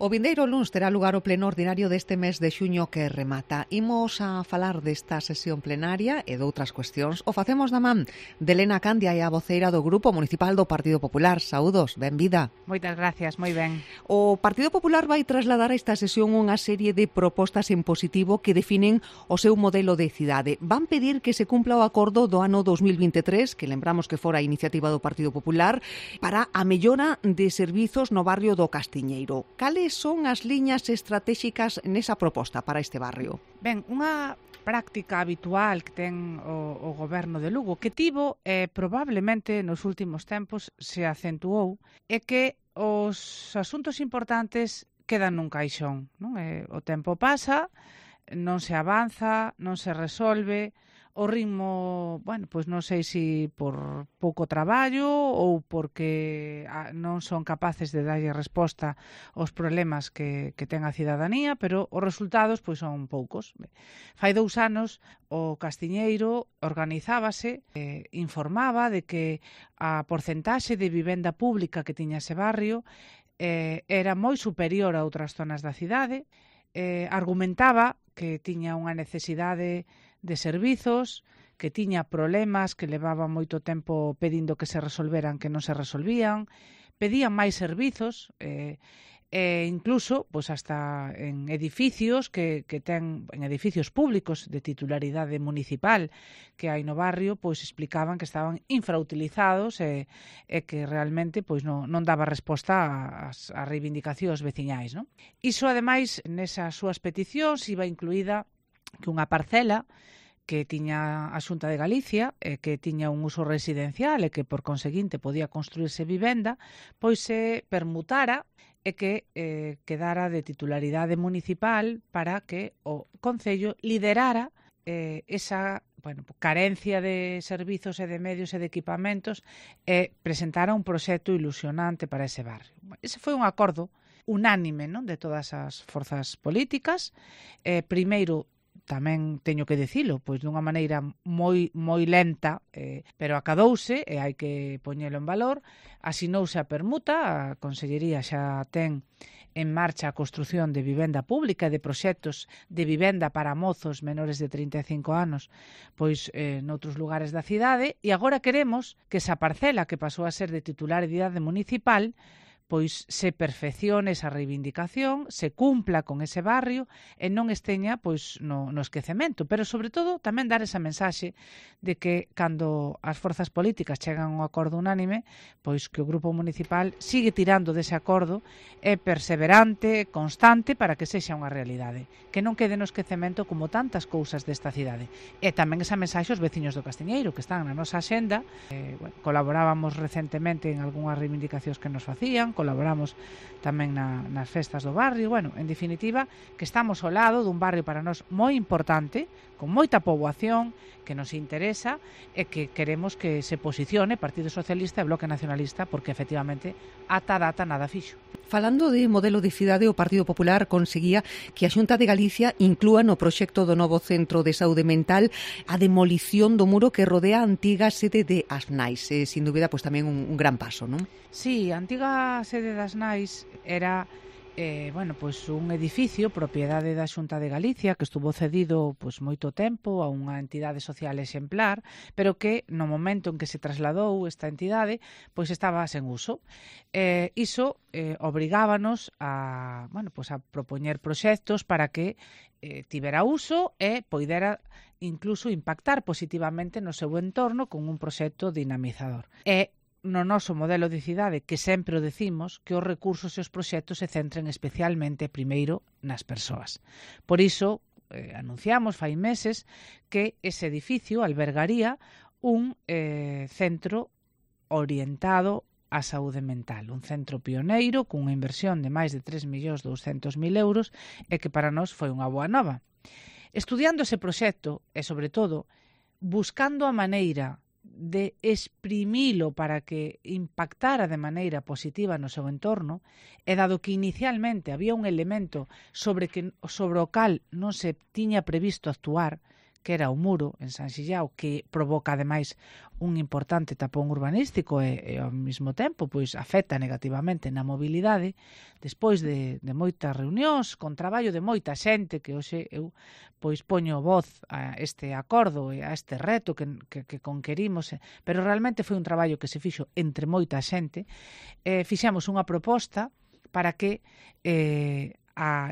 O vindeiro luns terá lugar o pleno ordinario deste mes de xuño que remata. Imos a falar desta sesión plenaria e doutras cuestións. O facemos da man de Elena Candia e a voceira do Grupo Municipal do Partido Popular. Saúdos, benvida. Moitas gracias, moi ben. O Partido Popular vai trasladar a esta sesión unha serie de propostas en positivo que definen o seu modelo de cidade. Van pedir que se cumpla o acordo do ano 2023, que lembramos que fora a iniciativa do Partido Popular, para a mellora de servizos no barrio do Castiñeiro. Cales son as liñas estratéxicas nesa proposta para este barrio? Ben, unha práctica habitual que ten o goberno de Lugo, que tivo probablemente nos últimos tempos se acentuou, é que os asuntos importantes quedan nun caixón, non? O tempo pasa, non se avanza, non se resolve, o ritmo, bueno, pois non sei se por pouco traballo ou porque non son capaces de darlle resposta aos problemas que ten a cidadanía, pero os resultados pois son poucos. Fai 2 anos o Castiñeiro organizábase, informaba de que a porcentaxe de vivenda pública que tiña ese barrio era moi superior a outras zonas da cidade, argumentaba que tiña unha necesidade de servizos, que tiña problemas que levaba moito tempo pedindo que se resolveran, que non se resolvían, pedían máis servizos, incluso pois hasta en edificios que ten en edificios públicos de titularidade municipal que hai no barrio, pois explicaban que estaban infrautilizados e que realmente pois non daba resposta ás reivindicacións veciñais, non? Iso ademais nesas súas peticións iba incluída que unha parcela que tiña a Xunta de Galicia que tiña un uso residencial e que por conseguinte podía construirse vivenda, pois se permutara e que quedara de titularidade municipal para que o Concello liderara esa carencia de servizos e de medios e de equipamentos e presentara un proxecto ilusionante para ese barrio. Ese foi un acordo unánime, non, de todas as forzas políticas. Primeiro, tamén teño que dicilo, pois dunha maneira moi lenta, pero acadouse e hai que poñelo en valor. Asinouse a permuta, a Consellería xa ten en marcha a construción de vivenda pública e de proxectos de vivenda para mozos menores de 35 anos pois noutros lugares da cidade, e agora queremos que esa parcela que pasou a ser de titularidade municipal pois se perfeccione esa reivindicación, se cumpla con ese barrio e non esteña pois no esquecemento, pero sobre todo tamén dar esa mensaxe de que cando as forzas políticas chegan a un acordo unánime, pois que o Grupo Municipal sigue tirando dese acordo, é perseverante, constante para que sexa unha realidade, que non quede no esquecemento como tantas cousas desta cidade. E tamén esa mensaxe aos veciños do Castiñeiro que están na nosa axenda. Colaborábamos recentemente en algunhas reivindicacións que nos facían, colaboramos tamén nas festas do barrio, en definitiva, que estamos ao lado dun barrio para nós moi importante, con moita poboación, que nos interesa e que queremos que se posicione Partido Socialista e Bloque Nacionalista, porque efectivamente ata data nada fixo. Falando de modelo de cidade, o Partido Popular conseguía que a Xunta de Galicia inclúa no proxecto do novo Centro de Saúde Mental a demolición do muro que rodea a antiga sede de Asnais. Sin dúbida, pois tamén un gran paso, non? Sí, a antiga sede das Nais era pois un edificio propiedade da Xunta de Galicia que estuvo cedido pois moito tempo a unha entidade social exemplar, pero que no momento en que se trasladou esta entidade pois estaba sen uso. Iso obrigábanos a propoñer proxectos para que tivera uso e poidera incluso impactar positivamente no seu entorno con un proxecto dinamizador. No noso modelo de cidade, que sempre o decimos, que os recursos e os proxectos se centren especialmente primeiro nas persoas. Por iso, anunciamos fai meses que ese edificio albergaría un centro orientado á saúde mental, un centro pioneiro cunha inversión de máis de 3.200.000 euros e que para nós foi unha boa nova. Estudiando ese proxecto e, sobre todo, buscando a maneira de exprimilo para que impactara de maneira positiva no seu entorno, e dado que inicialmente había un elemento sobre o cal non se tiña previsto actuar, que era o muro en San Xillao, que provoca ademais un importante tapón urbanístico e ao mesmo tempo pois afecta negativamente na mobilidade. Despois de moitas reunións, con traballo de moita xente, que hoxe eu pois poño voz a este acordo e a este reto que conquerimos, pero realmente foi un traballo que se fixo entre moita xente. Fixemos unha proposta para que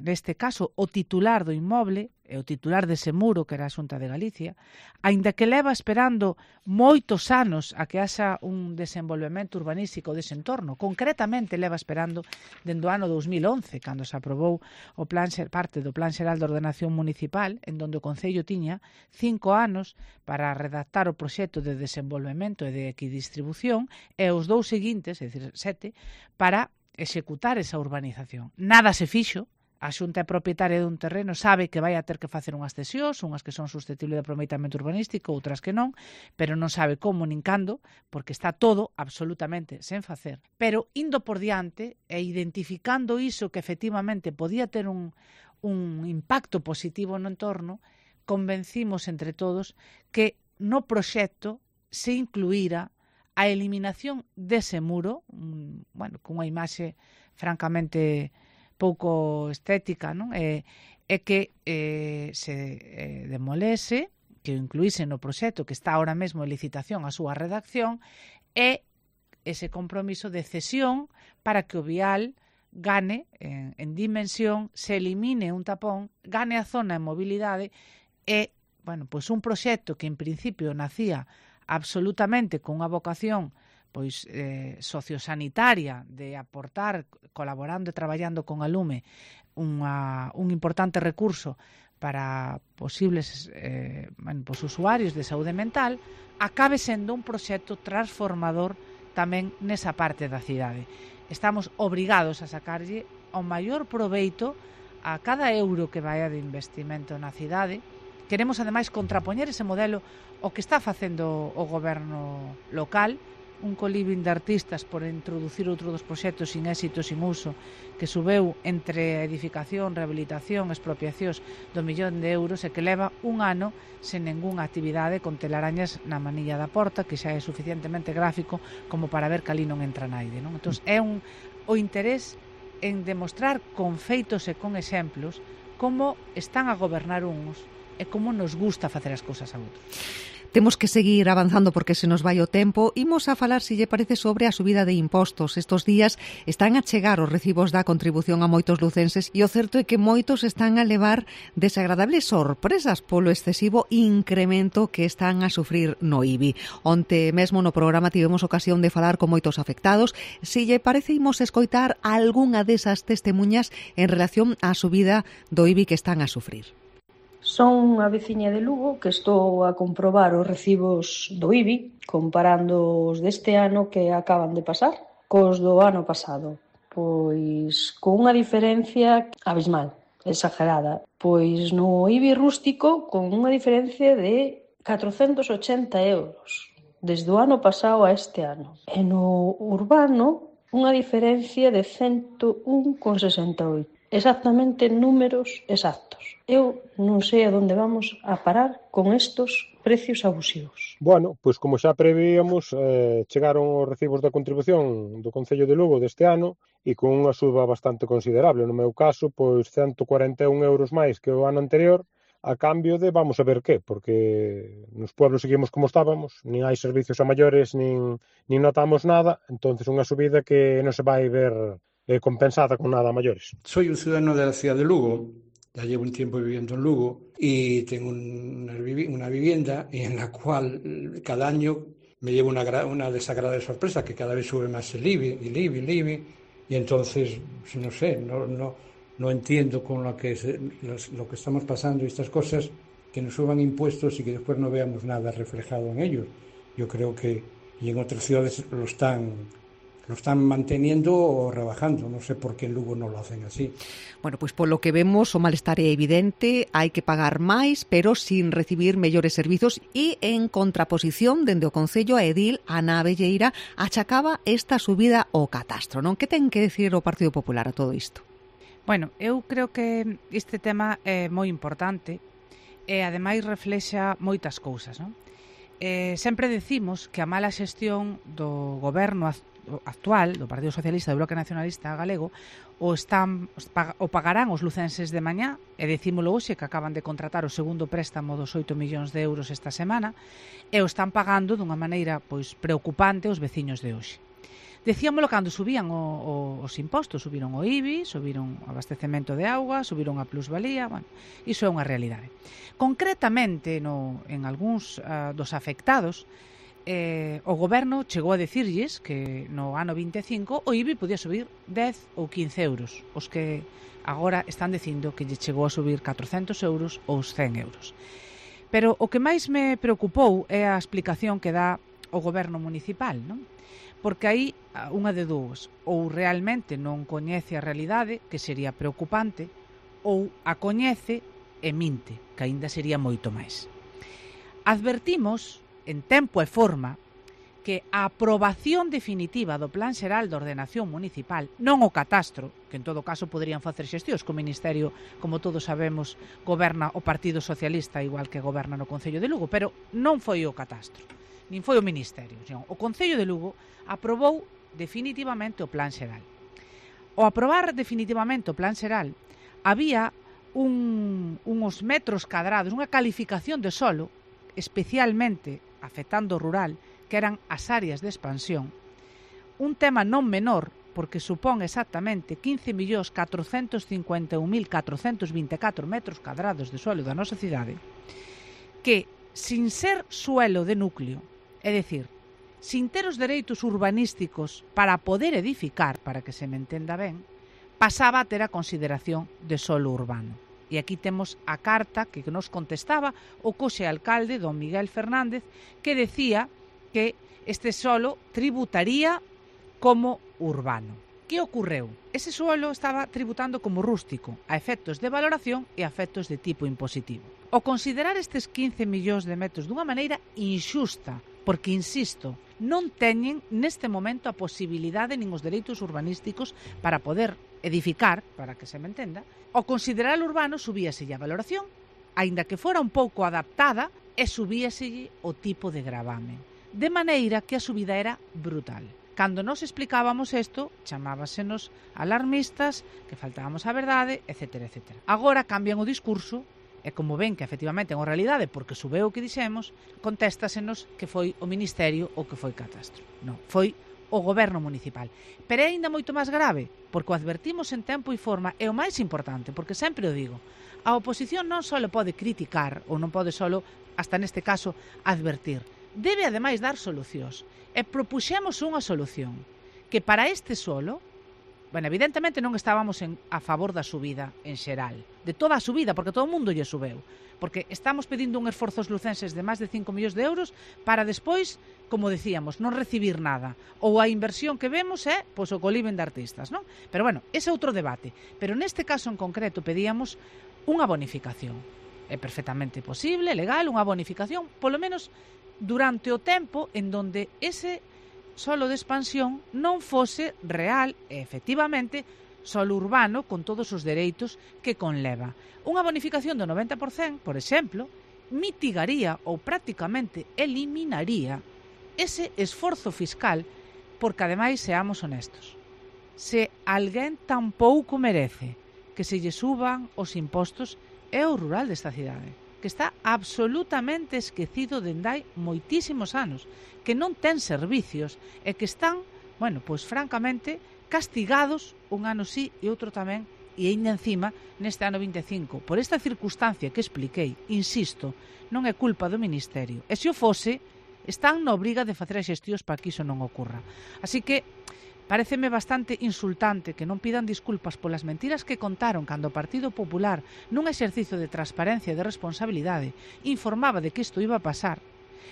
neste caso o titular do inmoble e o titular dese muro, que era a Xunta de Galicia, aínda que leva esperando moitos anos a que haxa un desenvolvemento urbanístico dese entorno, concretamente leva esperando dende o ano 2011, cando se aprobou o plan parte do Plan Xeral de Ordenación Municipal, en donde o Concello tiña 5 anos para redactar o proxecto de desenvolvemento e de equidistribución, e os 2 seguintes, é dicir, 7, para executar esa urbanización. Nada se fixo. A Xunta é propietaria dun terreno, sabe que vai a ter que facer unhas cesións, unhas que son susceptibles de aproveitamento urbanístico, outras que non, pero non sabe como nin cando, porque está todo absolutamente sen facer. Pero indo por diante e identificando iso que efectivamente podía ter un impacto positivo no entorno, convencimos entre todos que no proxecto se incluíra a eliminación dese muro, cunha imaxe francamente pouco estética, non? E que se demolese, que o incluíse no proxecto que está ahora mesmo en licitación a súa redacción, e ese compromiso de cesión para que o vial gane en dimensión, se elimine un tapón, gane a zona en mobilidade e, pois un proxecto que en principio nacía absolutamente con unha vocación pois sociosanitaria de aportar, colaborando e traballando con a Lume un importante recurso para posibles usuarios de saúde mental, acabe sendo un proxecto transformador tamén nesa parte da cidade. Estamos obrigados a sacarlle o maior proveito a cada euro que vaya de investimento na cidade. Queremos ademais contrapoñer ese modelo o que está facendo o goberno local, un colibrín de artistas por introducir outro dos proxectos sin éxito, sin uso, que subeu entre edificación, rehabilitación, expropiacións do 1.000.000 de euros e que leva un ano sen ningunha actividade, con telarañas na manilla da porta, que xa é suficientemente gráfico como para ver que ali non entra naide, non? Entón, é o interés en demostrar con feitos e con exemplos como están a gobernar uns e como nos gusta facer as cousas a outros. Temos que seguir avanzando porque se nos vai o tempo. Imos a falar, se lle parece, sobre a subida de impostos. Estos días están a chegar os recibos da contribución a moitos lucenses e o certo é que moitos están a levar desagradables sorpresas polo excesivo incremento que están a sufrir no IBI. Onte mesmo no programa tivemos ocasión de falar con moitos afectados. Se lle parece, imos escoitar algunha desas testemunhas en relación á subida do IBI que están a sufrir. Son unha veciña de Lugo que estou a comprobar os recibos do IBI comparando os deste ano que acaban de pasar cos do ano pasado. Pois con unha diferencia abismal, exagerada. Pois no IBI rústico con unha diferencia de 480 euros desde o ano pasado a este ano. E no urbano unha diferencia de 101,68. Exactamente números exactos. Eu non sei a onde vamos a parar con estos precios abusivos. Bueno, pois como xa prevíamos, chegaron os recibos da contribución do Concello de Lugo deste ano e con unha suba bastante considerable. No meu caso, pois 141 euros máis que o ano anterior, a cambio de vamos a ver que, porque nos pueblos seguimos como estábamos, nin hai servicios a maiores, nin notamos nada, entonces unha subida que non se vai ver compensada con nada a maiores. Soy un ciudadano de la ciudad de Lugo, ya llevo un tiempo viviendo en Lugo y tengo una vivienda en la cual cada año me llevo una desagradable sorpresa, que cada vez sube más el IBI, y entonces, no sé, no entiendo con lo que estamos pasando y estas cosas, que nos suban impuestos y que después no veamos nada reflejado en ellos. Yo creo que y en otras ciudades lo están manteniendo o rebajando. Non sei por que en Lugo non lo hacen así. Bueno, pois polo que vemos o malestar é evidente, hai que pagar máis, pero sin recibir mellores servizos, e en contraposición dende o Concello a edil Ana Abelleira achacaba esta subida ao catastro, non? Que ten que decir o Partido Popular a todo isto? Bueno, eu creo que este tema é moi importante e ademais reflexa moitas cousas, non? Sempre decimos que a mala xestión do goberno actual, do Partido Socialista do Bloque Nacionalista Galego, o pagarán os lucenses de mañá, e decímolo hoxe que acaban de contratar o segundo préstamo dos 8 millóns de euros esta semana, e o están pagando dunha maneira pois preocupante os veciños de hoxe. Decíamolo cando subían os impostos, subiron o IBI, subiron o abastecemento de auga, subiron a plusvalía, bueno, iso é unha realidade. Concretamente, en algúns dos afectados, o goberno chegou a decirlles que no ano 25 o IBI podía subir 10 ou 15 euros, os que agora están dicindo que lle chegou a subir 400 euros ou 100 euros. Pero o que máis me preocupou é a explicación que dá o goberno municipal, non? Porque aí unha de dúas, ou realmente non coñece a realidade, que sería preocupante, ou a coñece e minte, que aínda sería moito máis. Advertimos, en tempo e forma, que a aprobación definitiva do Plan Xeral de Ordenación Municipal, non o catastro, que en todo caso poderían facer xestións, que o Ministerio, como todos sabemos, goberna o Partido Socialista, igual que goberna no Concello de Lugo, pero non foi o catastro, nin foi o Ministerio. O Concello de Lugo aprobou definitivamente o Plan Xeral. Ao aprobar definitivamente o Plan Xeral, había uns metros cadrados, unha calificación de solo, especialmente afectando o rural, que eran as áreas de expansión. Un tema non menor, porque supón exactamente 15.451.424 metros cadrados de suelo da nosa cidade, que, sin ser suelo de núcleo, é dicir, sin ter os dereitos urbanísticos para poder edificar, para que se me entenda ben, pasaba a ter a consideración de solo urbano. E aquí temos a carta que nos contestaba o coxe alcalde, don Miguel Fernández, que decía que este solo tributaría como urbano. Que ocorreu? Ese suelo estaba tributando como rústico, a efectos de valoración e a efectos de tipo impositivo. O considerar estes 15 millóns de metros dunha maneira inxusta, porque, insisto, non teñen neste momento a posibilidade nin os dereitos urbanísticos para poder edificar, para que se me entenda, ao considerar urbano subíaselle a valoración, aínda que fora un pouco adaptada, e subíaselle o tipo de gravamen. De maneira que a subida era brutal. Cando nos explicábamos isto, chamábasenos alarmistas, que faltábamos a verdade, etc. etc. Agora cambian o discurso, e como ven que efectivamente é unha realidade porque subeu o que dixemos, contéstasenos que foi o Ministerio ou que foi catastro. Non, foi o goberno municipal. Pero é ainda moito máis grave, porque o advertimos en tempo e forma, e o máis importante, porque sempre o digo, a oposición non só pode criticar, ou non pode só, hasta neste caso, advertir. Debe ademais dar solucións. E propuxemos unha solución, que para este solo, bueno, evidentemente non estábamos a favor da subida en xeral, de toda a subida, porque todo o mundo lle subeu, porque estamos pedindo un esforzo aos lucenses de máis de 5 millóns de euros para despois, como decíamos, non recibir nada, ou a inversión que vemos é pois, o coliben de artistas, non? Pero bueno, ese é outro debate, pero neste caso en concreto pedíamos unha bonificación. É perfectamente posible, legal, unha bonificación, polo menos durante o tempo en donde ese solo de expansión non fose real e, efectivamente, solo urbano con todos os dereitos que conleva. Unha bonificación do 90%, por exemplo, mitigaría ou prácticamente eliminaría ese esforzo fiscal porque, ademais, seamos honestos. Se alguén tampouco merece que se lle suban os impostos é o rural desta cidade, que está absolutamente esquecido dende hai moitísimos anos, que non ten servicios e que están, bueno, pois francamente castigados un ano sí e outro tamén, e ainda encima neste ano 25. Por esta circunstancia que expliquei, insisto, non é culpa do Ministerio. E se o fose, están na obriga de facer xestións para que iso non ocorra. Así que paréceme bastante insultante que non pidan disculpas polas mentiras que contaron cando o Partido Popular, nun exercicio de transparencia e de responsabilidade, informaba de que isto iba a pasar,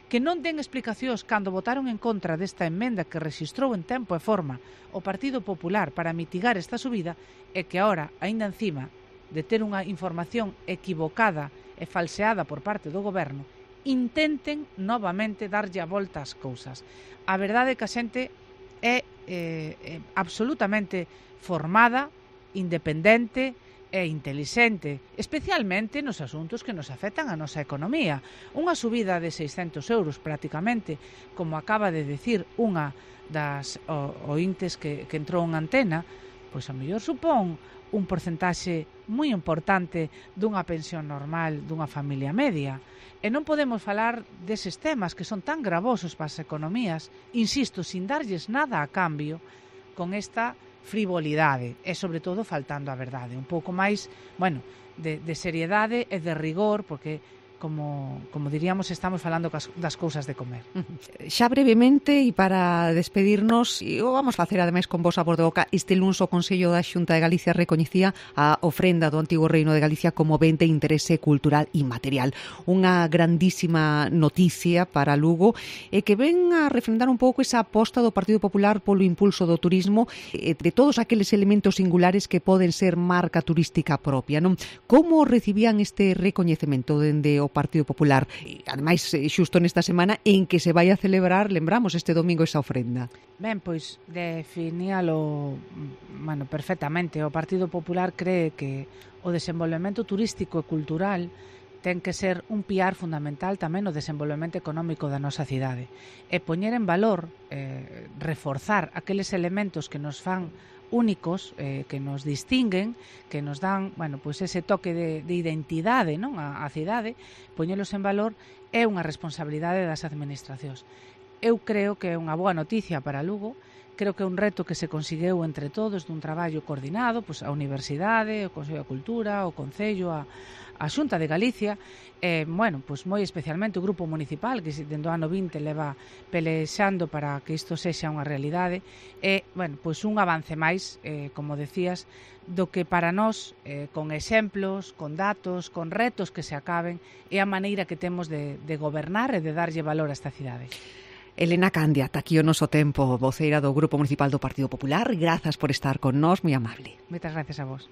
que non den explicacións cando votaron en contra desta emenda que rexistrou en tempo e forma o Partido Popular para mitigar esta subida e que agora, aínda encima de ter unha información equivocada e falseada por parte do goberno, intenten novamente darlle a volta ás cousas. A verdade é que a xente é absolutamente formada, independente, e intelixente, especialmente nos asuntos que nos afectan a nosa economía. Unha subida de 600 euros prácticamente, como acaba de decir unha das ointes que entrou en antena, pois a mellor supón un porcentaxe moi importante dunha pensión normal dunha familia media. E non podemos falar deses temas que son tan gravosos para as economías, insisto, sin darlles nada a cambio, con esta frivolidade e, sobre todo, faltando a verdade. Un pouco máis, de seriedade e de rigor, porque como diríamos, estamos falando das cousas de comer. Xa brevemente, e para despedirnos, e o vamos facer ademais con vos a voz de boca, este luns o Consello da Xunta de Galicia recoñecía a ofrenda do Antigo Reino de Galicia como ben de interese cultural e material. Unha grandísima noticia para Lugo e que ven a refrendar un pouco esa aposta do Partido Popular polo impulso do turismo e de todos aqueles elementos singulares que poden ser marca turística propia, non? Como recibían este recoñecemento dende o Partido Popular? E, ademais, xusto nesta semana en que se vai a celebrar, lembramos, este domingo esa ofrenda. Ben, pois definíalo perfectamente. O Partido Popular cree que o desenvolvemento turístico e cultural ten que ser un piar fundamental tamén no desenvolvemento económico da nosa cidade. E poñer en valor, reforzar aqueles elementos que nos fan únicos, que nos distinguen, que nos dan, ese toque de identidade, non, a cidade, poñelos en valor é unha responsabilidade das administracións. Eu creo que é unha boa noticia para Lugo, creo que é un reto que se conseguiu entre todos dun traballo coordinado, a Universidade, o Consello da Cultura, o Concello, a Xunta de Galicia, moi especialmente o Grupo Municipal, que dende o ano 20 leva pelexando para que isto sexa unha realidade, un avance máis, como decías, do que para nós, con exemplos, con datos, con retos que se acaben, é a maneira que temos de gobernar e de darlle valor a esta cidade. Elena Candia, ata aquí o noso tempo, voceira do Grupo Municipal do Partido Popular. Grazas por estar con nós, moi amable. Moitas gracias a vos.